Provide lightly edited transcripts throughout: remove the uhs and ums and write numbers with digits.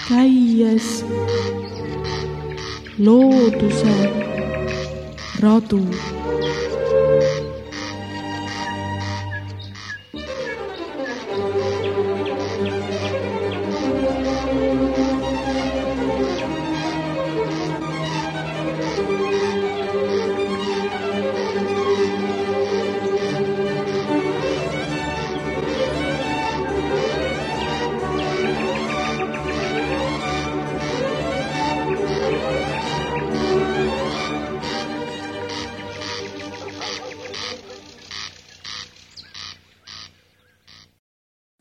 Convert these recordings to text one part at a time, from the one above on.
käies looduse radu.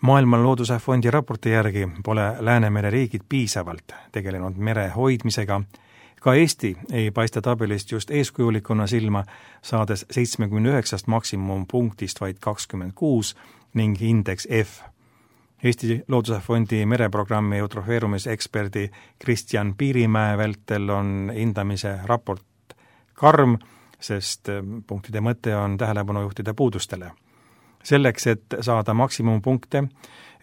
Maailma Looduse Fondi raporti järgi pole Läänemere riigid piisavalt tegelenud mere hoidmisega. Ka Eesti ei paista tabelist just eeskujulikuna silma, saades 79 maksimumpunktist vaid 26 ning indeks F. Eesti Looduse Fondi mereprogrammi eutrofeerumiseksperdi Kristjan Piirimäe vältel on hindamise raport karm, sest punktide mõte on tähelepanu juhtida puudustele. Selleks, et saada maksimumpunkte,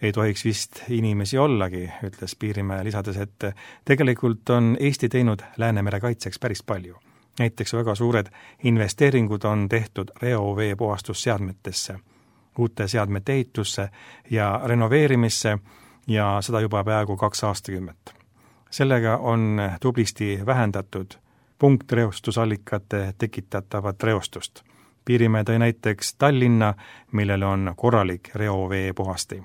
ei tohiks vist inimesi ollagi, ütles Piirimäe lisades, et tegelikult on Eesti teinud Läänemere kaitseks päris palju. Näiteks väga suured investeeringud on tehtud reovee puhastusseadmetesse, uute seadmete ehitusse ja renoveerimisse ja seda juba peaaegu 2 aastakümmet. Sellega on tublisti vähendatud punktreostusallikate tekitatavat reostust. Piirimäe tõi näiteks Tallinna, millel on korralik reovee puhasti.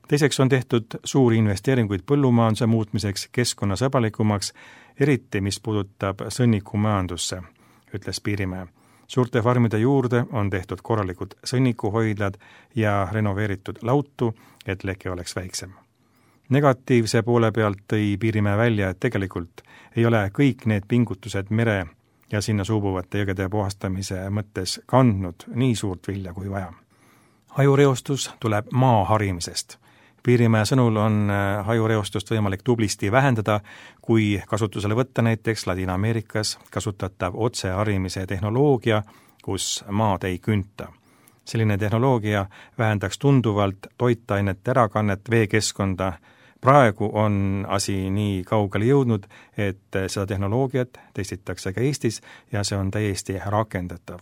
Teiseks on tehtud suuri investeeringuid põllumajanduse muutmiseks keskkonnasõbralikumaks, eriti mis puudutab sõnnikumajandusse, ütles Piirimäe. Suurte farmide juurde on tehtud korralikud sõnnikuhoidlad ja renoveeritud lautu, et leke oleks väiksem. Negatiivse poole pealt tõi Piirimäe välja, et tegelikult ei ole kõik need pingutused mere ja sinna suubuvate jõgede puhastamise mõttes kandnud nii suurt vilja kui vaja. Hajureostus tuleb maa harimisest. Piirimäe sõnul on hajureostust võimalik tublisti vähendada, kui kasutusele võtta näiteks Ladina-Ameerikas kasutatav otseharimise tehnoloogia, kus maad ei künta. Selline tehnoloogia vähendaks tunduvalt toitainete ärakannet veekeskkonda. Praegu on asi nii kaugele jõudnud, et seda tehnoloogiat testitakse ka Eestis ja see on täiesti rakendatav.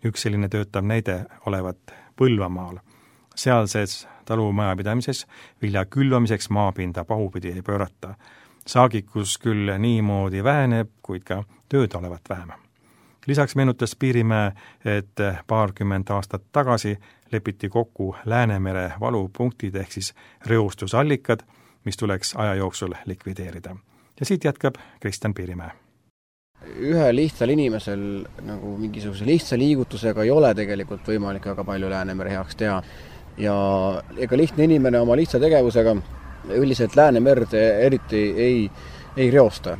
Üks selline töötav näide olevat Põlvamaal. Sealses talumajapidamises vilja külvamiseks maapinda pahupidi ei pöörata. Saagikus küll niimoodi väheneb, kuid ka tööd olevat vähem. Lisaks meenutas Piirimäe, et 20 aastat tagasi lepiti kokku Läänemere valupunktid ehk siis reostusallikad, mis tuleks aja jooksul likvideerida. Ja siit jätkab Kristjan Piirimäe. Ühe lihtsal inimesel nagu mingisuguse lihtsa liigutusega ei ole tegelikult võimalik väga palju Läänemere heaks teha. Ja ega lihtne inimene oma lihtsa tegevusega üldiselt Läänemerd eriti ei reosta.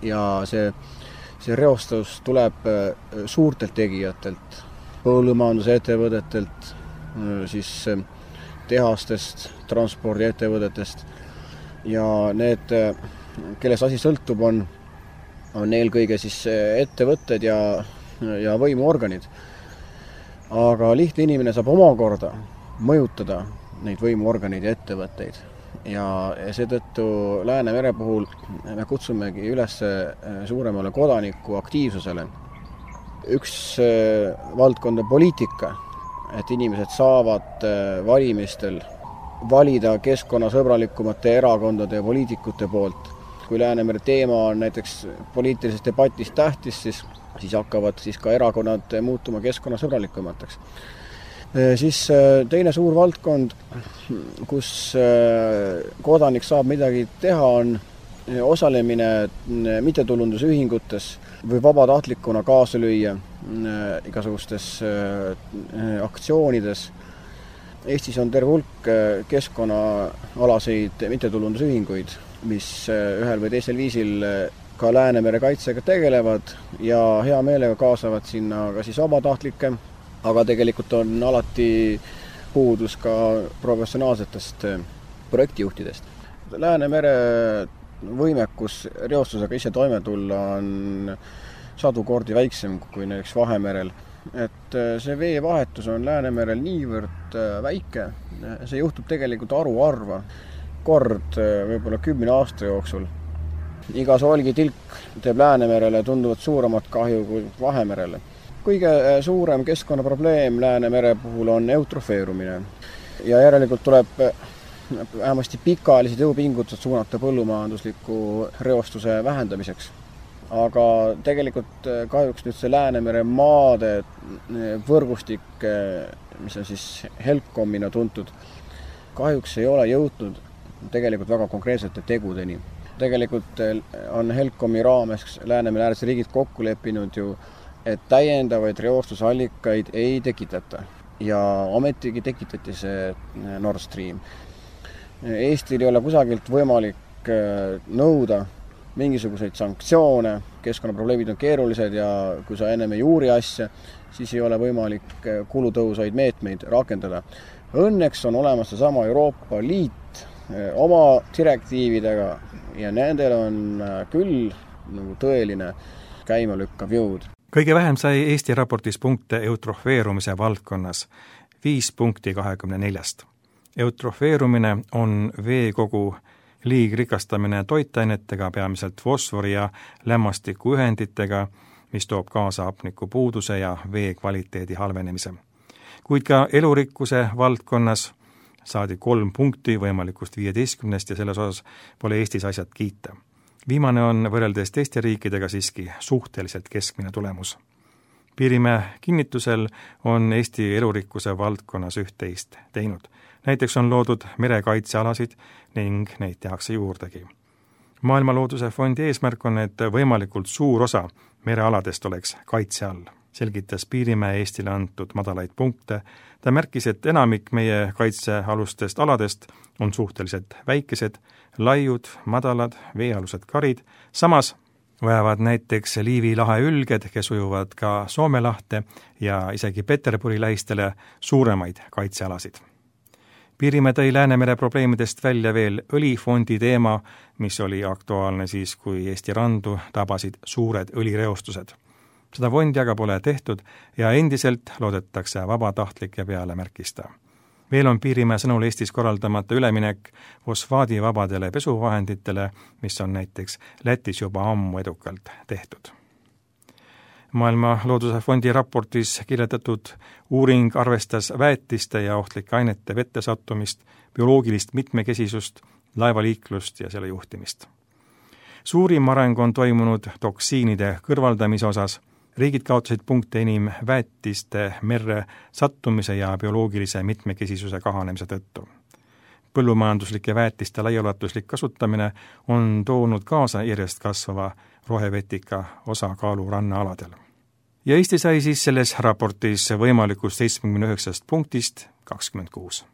Ja see reostus tuleb suurtelt tegijatelt, põllumajandusettevõtetelt, siis tehastest, transpordiettevõtetest. Ja need, kelles asi sõltub, on eelkõige siis ettevõtted ja võimuorganid. Aga lihtne inimene saab omakorda mõjutada neid võimuorganeid ja ettevõtteid. Ja seetõttu Läänemere puhul me kutsumegi üles suuremale kodaniku aktiivsusele. Üks valdkond on poliitika, et inimesed saavad valimistel valida keskkonnasõbralikumate erakondade ja poliitikute poolt. Kui Läänemere teema on näiteks poliitilises debatis tähtis, siis hakkavad siis ka erakonnad muutuma keskkonnasõbralikumateks. Siis teine suur valdkond, kus kodanik saab midagi teha, on osalemine mittetulundusühingutes või vabatahtlikuna kaasa lüüa igasugustes aktsioonides. Eestis on terve hulk keskkonnaalaseid mittetulundusühinguid, mis ühel või teisel viisil ka Läänemere kaitsega tegelevad ja hea meelega kaasavad sinna ka siis vabatahtlikke, aga tegelikult on alati puudus ka professionaalsetest projektijuhtidest. Läänemere võimekus reostusega ise toime tulla on 100 kordi väiksem kui näiteks Vahemerel. Et see veevahetus on Läänemerel niivõrd väike, see juhtub tegelikult haruharva. kord võib-olla 10 aasta jooksul. Iga solgitilk teeb Läänemerele tunduvalt suuremat kahju kui Vahemerele. Kõige suurem keskkonnaprobleem Läänemere puhul on eutrofeerumine ja järelikult tuleb vähemasti pikaajalised jõupingutused suunata põllumajandusliku reostuse vähendamiseks. Aga tegelikult kahjuks nüüd see Läänemere maade võrgustik, mis on siis HELCOMina tuntud, kahjuks ei ole jõudnud tegelikult väga konkreetsete tegudeni. Tegelikult on HELCOMi raames Läänemere äärsed riigid kokku leppinud ju, et täiendavaid reostusallikaid ei tekitata. Ja ometigi tekitati see Nord Stream. Eestil ei ole kusagilt võimalik nõuda mingisuguseid sanktsioone, keskkonnaprobleemid on keerulised ja kui sa ennem ei uuri asja, siis ei ole võimalik kulutõhusaid meetmeid rakendada. Õnneks on olemas sama Euroopa Liit oma direktiividega ja nendel on küll nagu tõeline käimalükkav jõud. Kõige vähem sai Eesti raportis punkte eutrofeerumise valdkonnas, 5 punkti 24. Eutrofeerumine on veekogu liigrikastamine toitainetega, peamiselt fosfori ja lämmastikuühenditega, mis toob kaasa hapnikupuuduse ja vee kvaliteedi halvenemise. Kuid ka elurikkuse valdkonnas saadi 3 punkti võimalikust 15 ja selles osas pole Eestis asjad kiita. Viimane on võrreldes teiste riikidega siiski suhteliselt keskmine tulemus. Piirimäe kinnitusel on Eesti elurikkuse valdkonnas üht-teist teinud. Näiteks on loodud merekaitsealasid ning neid tehakse juurdegi. Maailma Looduse Fondi eesmärk on, et võimalikult suur osa merealadest oleks kaitse all. Selgitas Piirimäe Eestile antud madalaid punkte. Ta märkis, et enamik meie kaitsealustest aladest on suhteliselt väikesed, laiud, madalad, veealused karid. Samas vajavad näiteks Liivi lahe ülged, kes ujuvad ka Soome lahte ja isegi Peterburi lähistele suuremaid kaitsealasid. Piirimäe tõi Läänemere probleemidest välja veel õlifondi teema, mis oli aktuaalne siis, kui Eesti randu tabasid suured õlireostused. Seda fondi aga pole tehtud ja endiselt loodetakse vabatahtlike peale, märkis ta. Veel on Piirimäe sõnul Eestis korraldamata üleminek fosfaadivabadele pesuvahenditele, mis on näiteks Lätis juba ammu edukalt tehtud. Maailma Looduse Fondi raportis kirjeldatud uuring arvestas väetiste ja ohtlike ainete vette sattumist, bioloogilist mitmekesisust, laevaliiklust ja selle juhtimist. Suurim areng on toimunud toksiinide kõrvaldamise osas. Riigid kaotasid punkte enim väetiste merre sattumise ja bioloogilise mitmekesisuse kahanemise tõttu. Põllumajanduslike väetiste laiaulatuslik kasutamine on toonud kaasa järjest kasvava rohevetika osakaalu rannaaladel. Ja Eesti sai siis selles raportis võimalikust 79 punktist 26.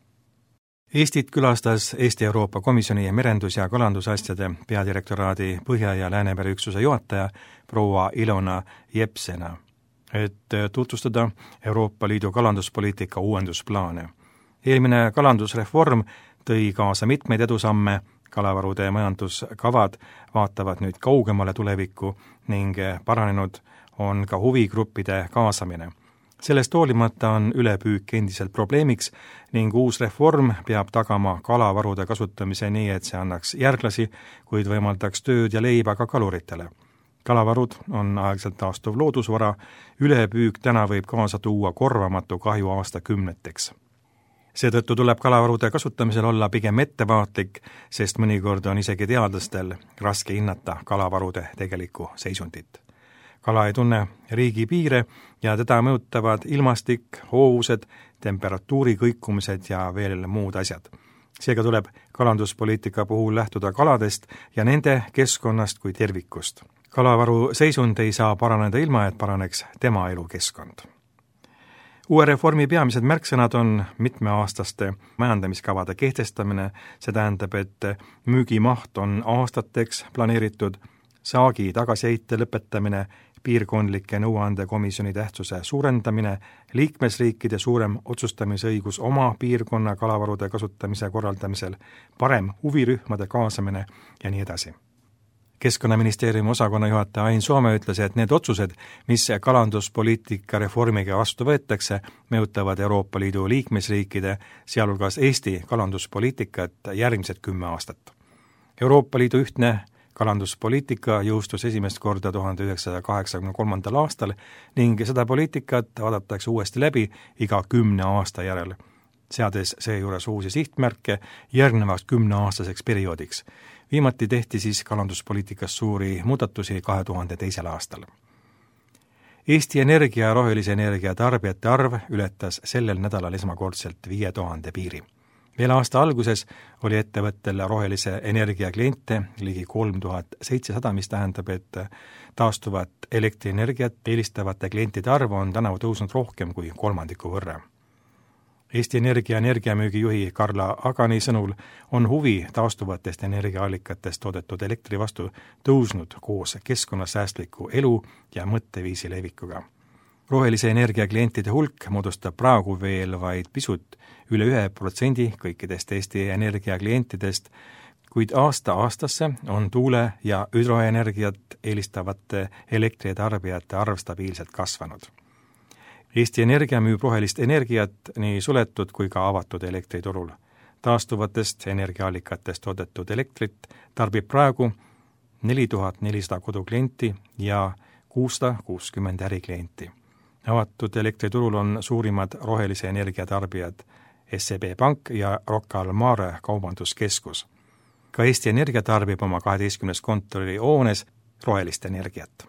Eestit külastas Eesti Euroopa Komisjoni merendus- ja kalandusasjade peadirektoraadi Põhja- ja Läänemere üksuse juhataja proua Ilona Jepsena, et tutvustada Euroopa Liidu kalanduspoliitika uuendusplaane. Eelmine kalandusreform tõi kaasa mitmeid edusamme, kalavarude majanduskavad vaatavad nüüd kaugemale tulevikku ning paranenud on ka huvigruppide kaasamine. Sellest hoolimata on ülepüük endiselt probleemiks ning uus reform peab tagama kalavarude kasutamise nii, et see annaks järglasi, kuid võimaldaks tööd ja leiba ka kaluritele. Kalavarud on aegselt taastuv loodusvara, ülepüük täna võib kaasa tuua korvamatu kahju aastakümneteks. Seetõttu tuleb kalavarude kasutamisel olla pigem ettevaatlik, sest mõnikord on isegi teadlastel raske hinnata kalavarude tegelikku seisundit. Kala ei tunne riigi piire ja teda mõjutavad ilmastik, hoovused, temperatuuri kõikumised ja veel muud asjad. Seega tuleb kalanduspoliitika puhul lähtuda kaladest ja nende keskkonnast kui tervikust. Kalavaru seisund ei saa paraneda ilma, et paraneks tema elukeskkond. Uue reformi peamised märksõnad on mitmeaastaste majandamiskavade kehtestamine, see tähendab, et müügimaht on aastateks planeeritud, saagi tagasiheite lõpetamine, piirkondlike nõuandekomisjoni tähtsuse suurendamine, liikmesriikide suurem otsustamisõigus oma piirkonna kalavarude kasutamise korraldamisel, parem huvirühmade kaasamine ja nii edasi. Keskkonnaministeeriumi osakonna juhataja Ain Soome ütles, et need otsused, mis kalanduspoliitika reformiga vastu võetakse, mõjutavad Euroopa Liidu liikmesriikide, sealhulgas Eesti kalanduspoliitikat järgmised 10 aastat. Euroopa Liidu ühtne kalanduspoliitika jõustus esimest korda 1983. aastal ning seda poliitikat vaadatakse uuesti läbi iga 10 aasta järel, seades seejuures uusi sihtmärke järgnevaks 10-aastaseks perioodiks. Viimati tehti siis kalanduspoliitikas suuri muudatusi 2002. aastal. Eesti Energia ja rohelise energia tarbijate arv ületas sellel nädalal esmakordselt 5000 piiri. Veel aasta alguses oli ettevõttel rohelise energia kliente ligi 3700, mis tähendab, et taastuvat elektrienergiat eelistavate klientide arv on tänavu tõusnud rohkem kui 1/3 võrra. Eesti Energia energiamüügijuhi Karla Agani sõnul on huvi taastuvatest energiaallikatest toodetud elektri vastu tõusnud koos keskkonnasäästliku elu ja mõtteviisi levikuga. Rohelise energia klientide hulk moodustab praegu veel vaid pisut üle 1% kõikidest Eesti Energia klientidest, kuid aasta-aastasse on tuule- ja hüdroenergiat eelistavate elektritarbijate arv stabiilselt kasvanud. Eesti Energia müüb rohelist energiat nii suletud kui ka avatud elektriturul. Taastuvatest energiaallikatest toodetud elektrit tarbib praegu 4400 koduklienti ja 660 äriklienti. Avatud elektriturul on suurimad rohelise energia tarbijad SEB Pank ja Rocca al Mare kaubanduskeskus. Ka Eesti Energia tarbib oma 12 kontori hoones rohelist energiat.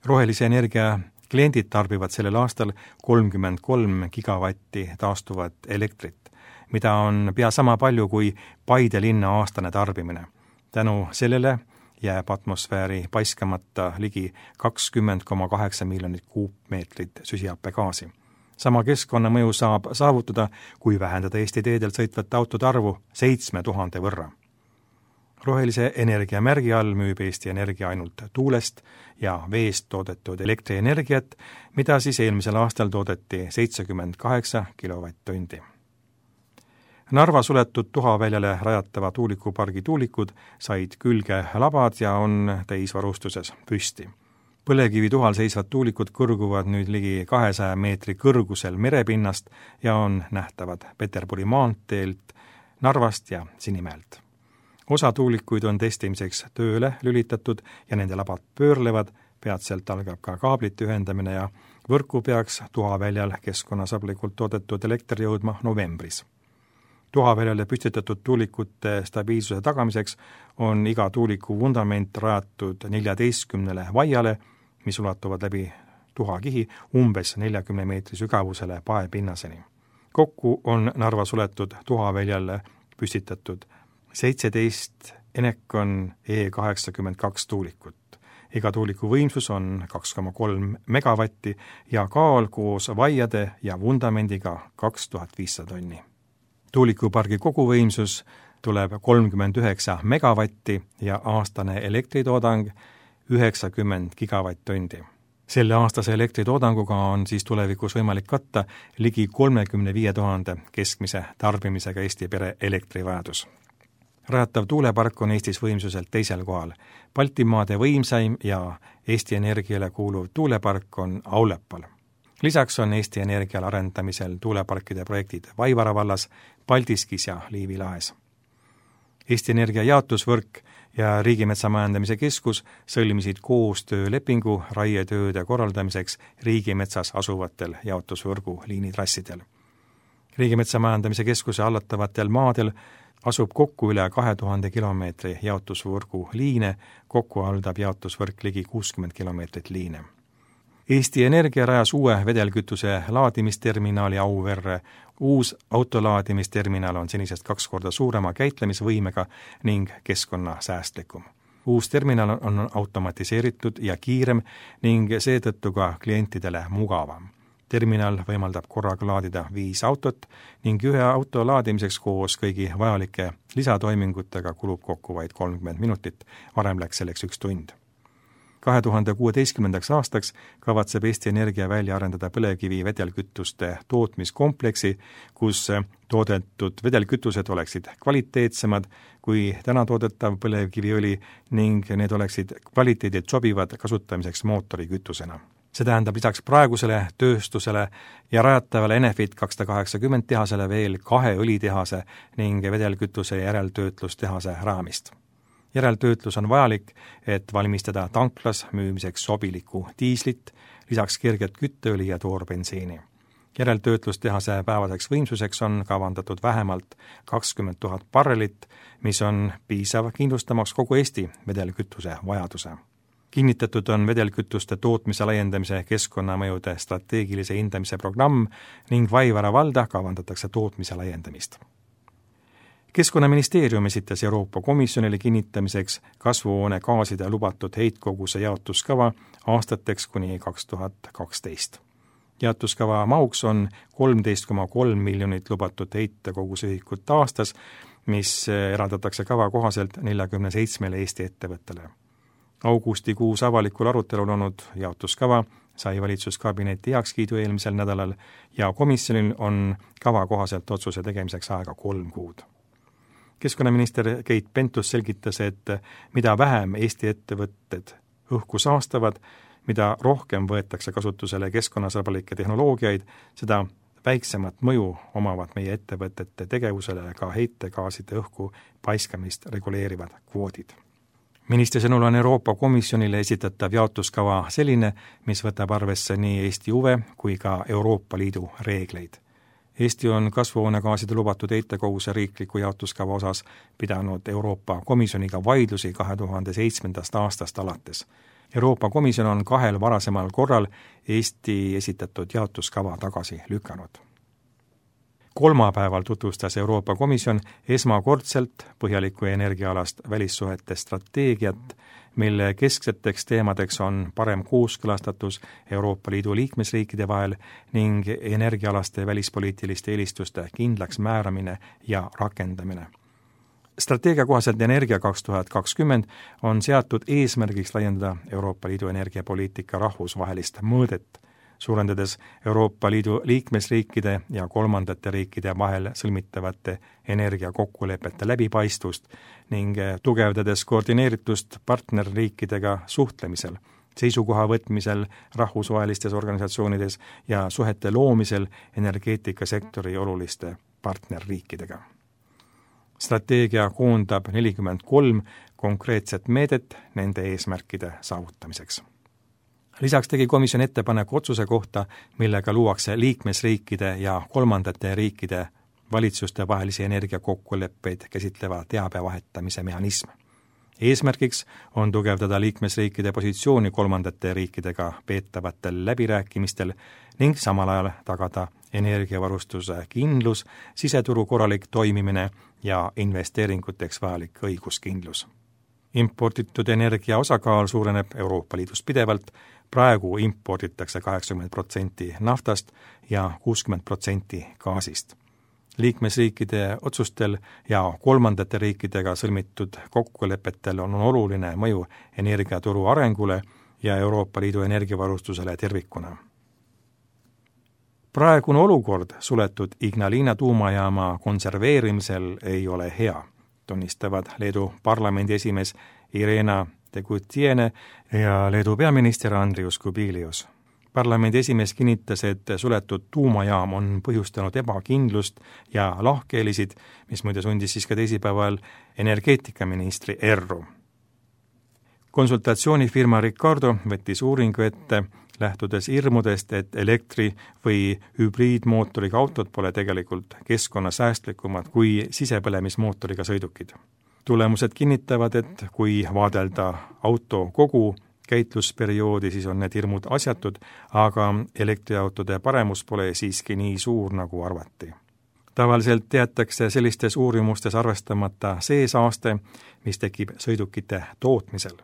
Rohelise energia kliendid tarbivad sellel aastal 33 gigavatti taastuvat elektrit, mida on pea sama palju kui Paide linna aastane tarbimine. Tänu sellele jääb atmosfääri paiskamata ligi 20,8 miljonit kuupmeetrit süsihappegaasi. Sama keskkonnamõju saab saavutada, kui vähendada Eesti teedel sõitvate autode arvu 7000 võrra. Rohelise energia märgi all müüb Eesti Energia ainult tuulest ja veest toodetud elektrienergiat, mida siis eelmisel aastal toodeti 78 kilovatt-tundi. Narva suletud tuhaväljale rajatava tuulikupargi tuulikud said külge labad ja on täisvarustuses püsti. Põlevkivi tuhal seisvad tuulikud kõrguvad nüüd ligi 200 meetri kõrgusel merepinnast ja on nähtavad Peterburi maanteelt, Narvast ja Sinimäelt. Osa tuulikuid on testimiseks tööle lülitatud ja nende labad pöörlevad, peatselt algab ka kaablite ühendamine ja võrku peaks tuhaväljal keskkonnasablikult toodetud elekter jõudma novembris. Tuhaväljale püstitatud tuulikute stabiilsuse tagamiseks on iga tuuliku vundament rajatud 14 vaiale, mis ulatuvad läbi tuhakihi umbes 40 meetri sügavusele paepinnaseni. Kokku on Narva suletud tuhaväljale püstitatud 17 Enecon E82 tuulikut. Iga tuuliku võimsus on 2,3 megavatti ja kaal koos vaiade ja vundamendiga 2500 tonni. Tuulikupargi koguvõimsus tuleb 39 megavatti ja aastane elektritoodang 90 gigavatt-tundi. Selle aastase elektritoodanguga on siis tulevikus võimalik katta ligi 35 000 keskmise tarbimisega Eesti pere elektrivajadus. Rajatav tuulepark on Eestis võimsuselt teisel kohal. Baltimaade võimsaim ja Eesti Energiale kuuluv tuulepark on Aulepal. Lisaks on Eesti Energial arendamisel tuuleparkide projektid Vaivara vallas, Paldiskis ja Liivi lahes. Eesti Energia jaotusvõrk ja Riigimetsamajandamise Keskus sõlmisid koostöölepingu raietööde korraldamiseks riigimetsas asuvatel jaotusvõrgu liinitrassidel. Riigimetsamajandamise Keskuse hallatavatel maadel asub kokku üle 2000 kilomeetri jaotusvõrgu liine, kokku haldab jaotusvõrk ligi 60 kilomeetrit liine. Eesti Energia rajas uue vedelkütuse laadimisterminali Auverre. Uus autolaadimisterminal on senisest 2 korda suurema käitlemisvõimega ning keskkonnasäästlikum. Uus terminal on automatiseeritud ja kiirem ning seetõttu ka klientidele mugavam. Terminal võimaldab korraga laadida 5 autot ning ühe auto laadimiseks koos kõigi vajalike lisatoimingutega kulub kokku vaid 30 minutit, varem läks selleks 1 tund. 2016. aastaks kavatseb Eesti Energia välja arendada põlevkivi vedelkütuste tootmiskompleksi, kus toodetud vedelkütused oleksid kvaliteetsemad kui täna toodetav põlevkiviõli ning need oleksid kvaliteedilt sobivad kasutamiseks mootorikütusena. See tähendab lisaks praegusele tööstusele ja rajatavale Enefit 280 tehasele veel 2 õlitehase ning vedelkütuse järeltöötlustehase raamist. Järeltöötlus on vajalik, et valmistada tanklas müümiseks sobilikku diislit, lisaks kerget kütteõli ja toorbensiini. Järeltöötlustehase päevaseks võimsuseks on kavandatud vähemalt 20 000 barrelit, mis on piisav kindlustamaks kogu Eesti vedelkütuse vajaduse. Kinnitatud on vedelkütuste tootmise laiendamise keskkonnamõjude strateegilise hindamise programm ning Vaivara valda kavandatakse tootmise laiendamist. Keskkonnaministeerium esitas Euroopa Komisjonile kinnitamiseks kasvuhoonegaaside lubatud heitkoguse jaotuskava aastateks kuni 2012. Jaotuskava mahuks on 13,3 miljonit lubatud heitkoguse ühikut aastas, mis eraldatakse kava kohaselt 47 Eesti ettevõttele. Augustikuus avalikul arutelul olnud jaotuskava sai valitsuskabineti heakskiidu eelmisel nädalal ja komisjonil on kava kohaselt otsuse tegemiseks aega 3 kuud. Keskkonnaminister Keit Pentus selgitas, et mida vähem Eesti ettevõtted õhku saastavad, mida rohkem võetakse kasutusele keskkonnasõbralikke tehnoloogiaid, seda väiksemat mõju omavad meie ettevõtete tegevusele ka heitegaaside õhku paiskamist reguleerivad kvoodid. Ministri sõnul on Euroopa Komisjonile esitatav jaotuskava selline, mis võtab arvesse nii Eesti huve kui ka Euroopa Liidu reegleid. Eesti on kasvuhoonegaaside lubatud heitkoguse riikliku jaotuskava osas pidanud Euroopa Komisjoniga vaidlusi 2007. aastast alates. Euroopa Komisjon on 2 varasemal korral Eesti esitatud jaotuskava tagasi lükanud. Kolmapäeval tutvustas Euroopa Komisjon esmakordselt põhjalikku energiaalast välissuhete strateegiat, mille keskseteks teemadeks on parem kooskõlastatus Euroopa Liidu liikmesriikide vahel ning energiaalaste välispoliitiliste eelistuste kindlaks määramine ja rakendamine. Strateegia kohaselt Energia 2020 on seatud eesmärgiks laiendada Euroopa Liidu energiapoliitika rahvusvahelist mõõdet, suurendades Euroopa Liidu liikmesriikide ja kolmandate riikide vahel sõlmitavate energiakokkulepete läbipaistvust ning tugevdades koordineeritust partnerriikidega suhtlemisel, seisukoha võtmisel rahvusvahelistes organisatsioonides ja suhete loomisel energeetikasektori oluliste partnerriikidega. Strateegia koondab 43 konkreetset meedet nende eesmärkide saavutamiseks. Lisaks tegi komisjon ettepaneku otsuse kohta, millega luuakse liikmesriikide ja kolmandate riikide valitsuste vahelisi energiakokkuleppeid käsitleva teabe vahetamise mehhanism. Eesmärgiks on tugevdada liikmesriikide positsiooni kolmandate riikidega peetavatel läbirääkimistel ning samal ajal tagada energiavarustuse kindlus, siseturu korralik toimimine ja investeeringuteks vajalik õiguskindlus. Imporditud energia osakaal suureneb Euroopa Liidus pidevalt, praegu imporditakse 80% naftast ja 60% gaasist. Liikmesriikide otsustel ja kolmandate riikidega sõlmitud kokkulepetel on oluline mõju energiaturu arengule ja Euroopa Liidu energiavarustusele tervikuna. Praegune olukord suletud Ignalina tuumajaama konserveerimisel ei ole hea, tunnistavad Leedu parlamendi esimees Irena Degutiene ja Leedu peaminister Andrius Kubilius. Parlamendi esimees kinnitas, et suletud tuumajaam on põhjustanud ebakindlust ja lahkheelisid, mis muide sundis siis ka teisipäeval energeetikaministri erru. Konsultatsioonifirma Ricardo võttis uuringu ette, lähtudes hirmudest, et elektri- või hübriidmootoriga autod pole tegelikult keskkonnasäästlikumad kui sisepõlemismootoriga sõidukid. Tulemused kinnitavad, et kui vaadelda auto kogu käitlusperioodi, siis on need hirmud asjatud, aga elektriautode paremus pole siiski nii suur, nagu arvati. Tavaliselt jäetakse sellistes uurimustes arvestamata see saaste, mis tekib sõidukite tootmisel.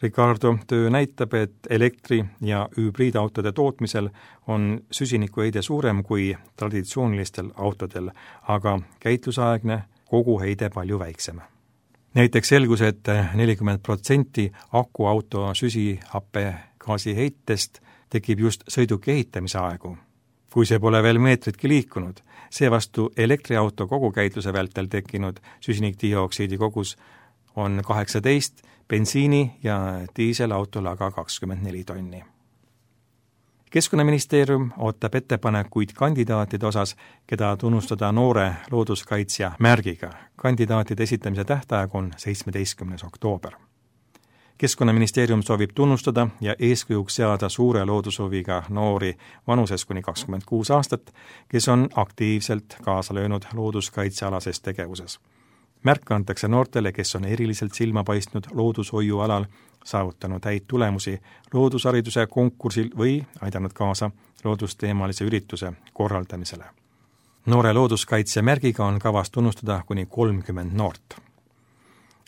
Ricardo töö näitab, et elektri- ja hübriidautode tootmisel on süsinikuheide suurem kui traditsioonilistel autodel, aga käitlusaegne koguheide palju väiksem. näiteks selgus, et 40% akuauto süsihappegaasi heitest tekib just sõiduki ehitamise aegu, kui see pole veel meetritki liikunud. Seevastu elektriauto kogukäitluse vältel tekkinud süsinikdioksiidi kogus on 18, bensiini ja diiselautol aga 24 tonni. Keskkonnaministeerium ootab ettepanekuid kandidaatide osas, keda tunnustada noore looduskaitsja märgiga. Kandidaatide esitamise tähtaeg on 17. oktoober. Keskkonnaministeerium soovib tunnustada ja eeskujuks seada suure loodushuviga noori vanuses kuni 26 aastat, kes on aktiivselt kaasa löönud looduskaitsealases tegevuses. Märk antakse noortele, kes on eriliselt silma paistnud loodushoiu alal, saavutanud häid tulemusi loodushariduse konkursil või aidanud kaasa loodusteemalise ürituse korraldamisele. Noore looduskaitse märgiga on kavas tunnustada kuni 30 noort.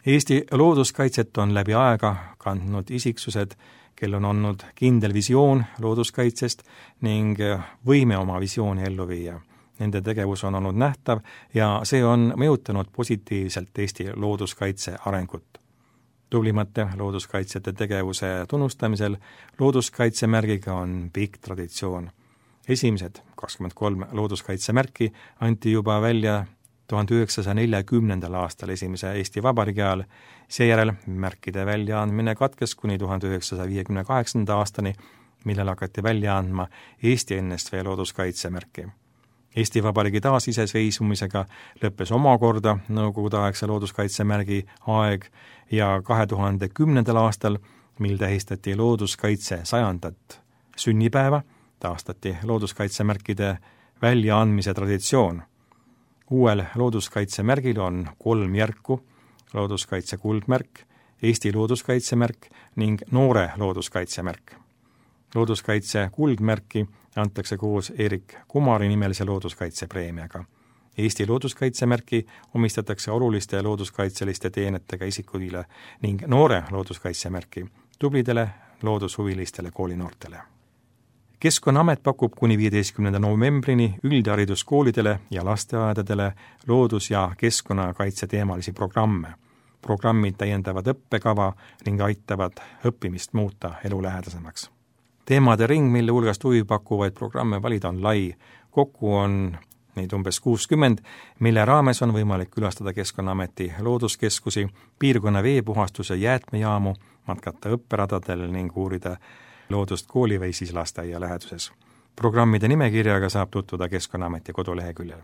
Eesti looduskaitset on läbi aega kandnud isiksused, kel on olnud kindel visioon looduskaitsest ning võime oma visiooni ellu viia. Nende tegevus on olnud nähtav ja see on mõjutanud positiivselt Eesti looduskaitse arengut. Tublimate looduskaitsjate tegevuse tunnustamisel looduskaitsemärgiga on pikk traditsioon. Esimesed 23 looduskaitsemärki anti juba välja 1940. aastal esimese Eesti Vabariigi ajal, seejärel märkide väljaandmine katkes kuni 1958. aastani, millal hakati välja andma Eesti NSV looduskaitsemärki. Eesti Vabariigi taasiseseisvumisega lõppes omakorda nõukogudeaegse looduskaitsemärgi aeg ja 2010. aastal, mil tähistati looduskaitse 100. sünnipäeva, taastati looduskaitsemärkide väljaandmise traditsioon. Uuel looduskaitsemärgil on 3 järku, looduskaitse kuldmärk, Eesti looduskaitsemärk ning noore looduskaitsemärk. Looduskaitse kuldmärki antakse koos Erik Kumari nimelise looduskaitsepreemiaga. Eesti looduskaitsemärki omistatakse oluliste looduskaitseliste teenetega isikutele ning noore looduskaitsemärki tublidele loodushuvilistele koolinoortele. Keskkonnaamet pakub kuni 15. novembrini üldhariduskoolidele ja lasteaedadele loodus- ja keskkonnakaitse teemalisi programme. Programmid täiendavad õppekava ning aitavad õppimist muuta elulähedasemaks. Teemade ring, mille hulgast huvi pakkuvaid programme valida, on lai. Kokku on neid umbes 60, mille raames on võimalik külastada Keskkonnaameti looduskeskusi, piirkonna veepuhastuse jäätmejaamu, matkata õpperadadel ning uurida loodust kooli või siis lasteaia läheduses. Programmide nimekirjaga saab tutvuda Keskkonnaameti koduleheküljel.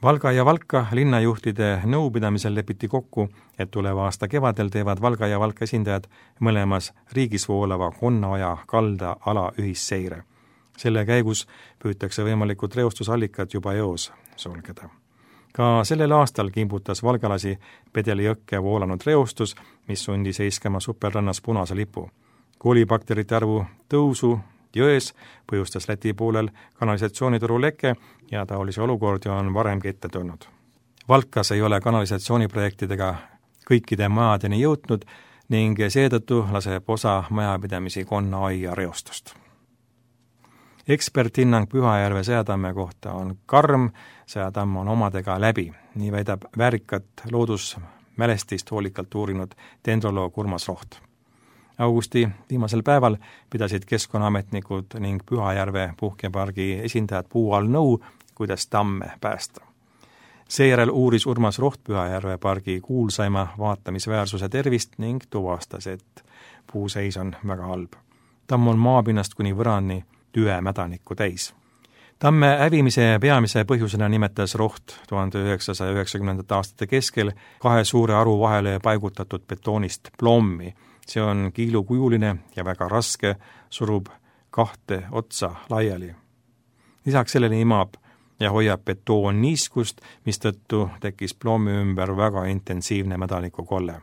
Valga ja Valka linnajuhtide nõupidamisel lepiti kokku, et tuleva aasta kevadel teevad Valga ja Valka esindajad mõlemas riigis voolava Konnaoja kalda ala ühisseire. Selle käigus püütakse võimalikud reostusallikad juba eos sulgeda. Ka sellel aastal kimbutas valgalasi Pedeli jõkke voolanud reostus, mis sundi seiskama Supelrannas punase lipu. Koolibakterite arvu tõusu jões põhjustas Läti poolel kanalisatsioonitoru leke ja taolisi olukordi on varemgi ette tulnud. Valkas ei ole kanalisatsiooniprojektidega kõikide majadeni jõudnud ning seetõttu laseb osa majapidamisi Konnaoja reostust. Eksperthinnang Pühajärve Sõjatamme kohta on karm, Sõjatamm on omadega läbi, nii väidab väärikat loodusmälestist hoolikalt uurinud dendroloog Urmas Roht. Augusti viimasel päeval pidasid keskkonnaametnikud ning Pühajärve puhkepargi esindajad puu all nõu, kuidas tamme päästa. Seejärel uuris Urmas Roht Pühajärve pargi kuulsaima vaatamisväärsuse tervist ning tuvastas, et puuseis on väga halb. Tamm on maapinnast kuni võrani tüvemädanikku täis. Tamme hävimise peamise põhjusena nimetas Roht 1990. aastate keskel 2 suure aru vahele paigutatud betoonist plommi. See on kiilukujuline ja väga raske, surub 2 otsa laiali. Lisaks sellele imab ja hoiab betoon niiskust, mistõttu tekkis plommi ümber väga intensiivne mädanikukolle.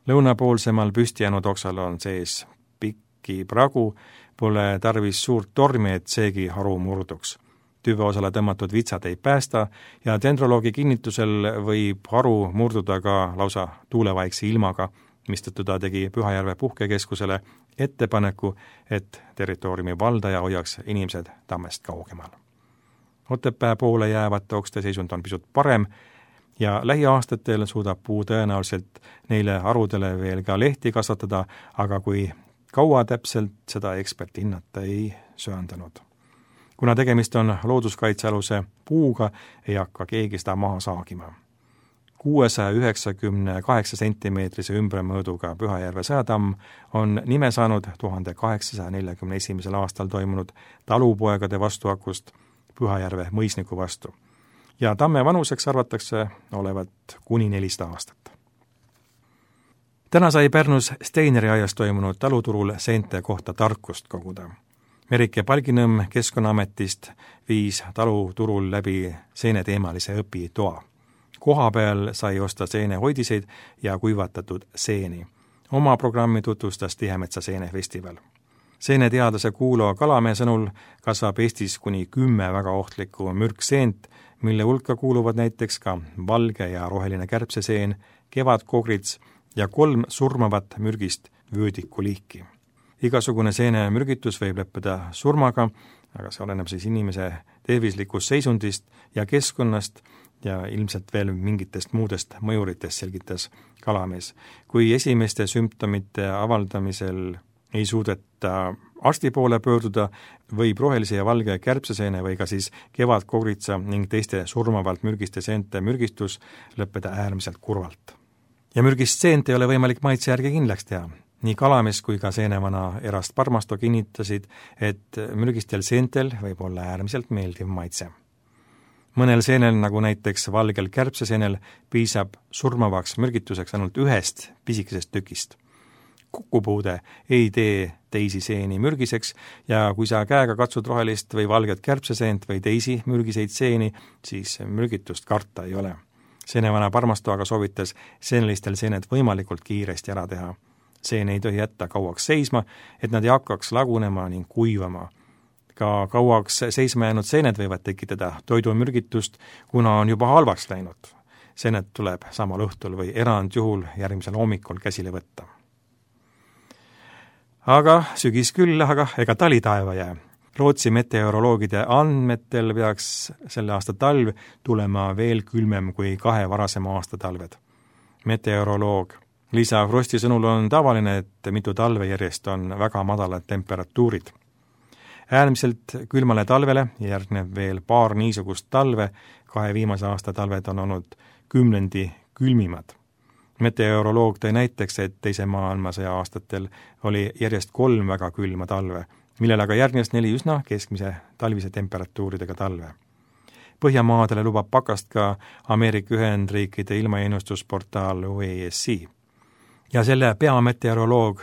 Lõunapoolsemal püsti jäänud oksal on sees pikki pragu, pole tarvis suurt tormi, et seegi haru murduks. Tüveosale tõmmatud vitsad ei päästa ja dendroloogi kinnitusel võib haru murduda ka lausa tuulevaikse ilmaga, mistõttu ta tegi Pühajärve puhkekeskusele ettepaneku, et territooriumi valdaja hoiaks inimesed tammest kaugemal. Otepää poole jäävate okste seisund on pisut parem, ja lähiaastatel suudab puu tõenäoliselt neile harudele veel ka lehti kasvatada, aga kui kaua täpselt, seda ekspert hinnata ei söandanud. Kuna tegemist on looduskaitsealuse puuga, ei hakka keegi seda maha saagima. 698 sentimeetrise ümbremõõduga Pühajärve sõjatamm on nime saanud 1841. aastal toimunud talupoegade vastuhakust Pühajärve mõisniku vastu. Ja tamme vanuseks arvatakse olevat kuni 400 aastat. Täna sai Pärnus Steineri aias toimunud taluturul seente kohta tarkust koguda. Merike Palginõmm Keskkonnaametist viis taluturul läbi seeneteemalise õpitoa. Koha peal sai osta seenehoidiseid ja kuivatatud seeni. Oma programmi tutvustas Tihemetsa seenefestival. Seeneteadlase Kuulo Kalamäe sõnul kasvab Eestis kuni 10 väga ohtlikku mürkseent, mille hulka kuuluvad näiteks ka valge ja roheline kärbseseen, kevadkogrits ja 3 surmavat mürgist vöödikuliiki. Igasugune seenemürgitus võib lõppeda surmaga, aga see oleneb siis inimese tervislikust seisundist ja keskkonnast ja ilmselt veel mingitest muudest mõjuritest, selgitas Kalamees. Kui esimeste sümptomite avaldamisel ei suudeta arsti poole pöörduda, võib rohelise ja valge kärbseseene või ka siis kevadkogritsa ning teiste surmavalt mürgiste seente mürgistus lõppeda äärmiselt kurvalt. Ja mürgist seent ei ole võimalik maitse järgi kindlaks teha. Nii Kalamees kui ka seenevana Erast Parmasto kinnitasid, et mürgistel seentel võib olla äärmiselt meeldiv maitse. Mõnel seenel, nagu näiteks valgel kärbseseenel, piisab surmavaks mürgituseks ainult 1 pisikesest tükist. Kukupuude ei tee teisi seeni mürgiseks ja kui sa käega katsud rohelist või valget kärbseseent või teisi mürgiseid seeni, siis mürgitust karta ei ole. Seenevana Parmasto aga soovitas seenelistel seened võimalikult kiiresti ära teha. Seen ei tohi jätta kauaks seisma, et nad ei hakkaks lagunema ning kuivama. Ka kauaks seisma jäänud seened võivad tekitada toidumürgitust, kuna on juba halvaks läinud. Seened tuleb samal õhtul või erandjuhul järgmisel hommikul käsile võtta. Aga sügis küll, aga ega tali taeva jää. Rootsi meteoroloogide andmetel peaks selle aasta talv tulema veel külmem kui 2 varasema aasta talved. Meteoroloog Liisa Frosti sõnul on tavaline, et mitu talve järjest on väga madalad temperatuurid. Äärmiselt külmale talvele järgneb veel paar niisugust talve, 2 viimase aasta talved on olnud 10 külmimad. Meteoroloog tõi näiteks, et teise maailmasõja aastatel oli järjest 3 väga külma talve, millele aga järgnes 4 üsna keskmise talvise temperatuuridega talve. Põhjamaadele lubab pakast ka Ameerika Ühendriikide ilmaennustusportaal UESC. Ja selle peameteoroloog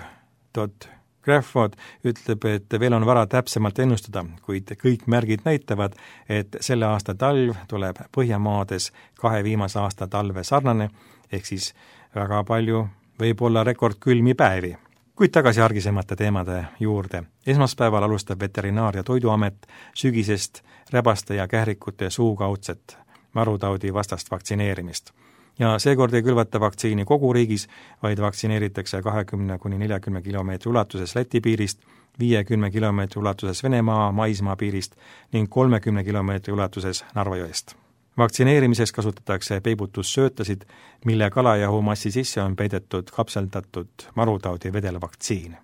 Todd Crawford ütleb, et veel on vara täpsemalt ennustada, kuid kõik märgid näitavad, et selle aasta talv tuleb Põhjamaades 2 viimase aasta talve sarnane, ehk siis väga palju võib olla rekordkülmi päevi. Kuid tagasi argisemate teemade juurde. Esmaspäeval alustab Veterinaar- ja Toiduamet sügisest räbaste ja kährikute suukaudset marutaudi vastast vaktsineerimist. Ja seekord ei külvata vaktsiini kogu riigis, vaid vaktsineeritakse 20–40 kilomeetri ulatuses Läti piirist, 50 kilomeetri ulatuses Venemaa maismaa piirist ning 30 kilomeetri ulatuses Narva jõest. Vaktsineerimises kasutatakse peibutussöötasid, mille kalajahumassi sisse on peidetud kapseldatud marutaudi vedelvaktsiin.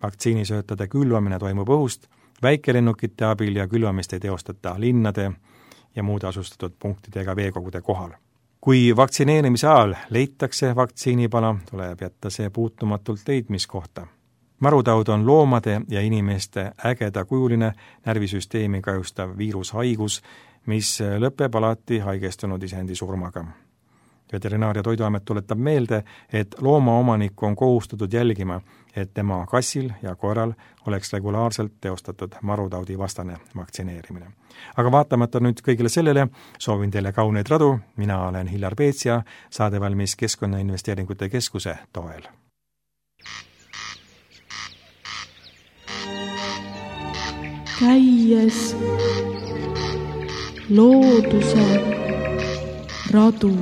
Vaktsiinisöötade külvamine toimub õhust, väikelennukite abil ja külvamist ei teostata linnade ja muude asustatud punktidega veekogude kohal. Kui vaktsineerimise ajal leitakse vaktsiinipala, tuleb jätta see puutumatult leidmiskohta. Marutaud on loomade ja inimeste ägedakujuline närvisüsteemi kahjustav viirushaigus, mis lõpeb alati haigestunud isendi surmaga. Veterinaar- ja Toiduamet tuletab meelde, et loomaomanik on kohustatud jälgima, et tema kassil ja koeral oleks regulaarselt teostatud marutaudi vastane vaktsineerimine. Aga vaatamata nüüd kõigile sellele, soovin teile kauneid radu, mina olen Hillar Peetsia, saade valmis Keskkonnainvesteeringute Keskuse toel. Käies looduse radu.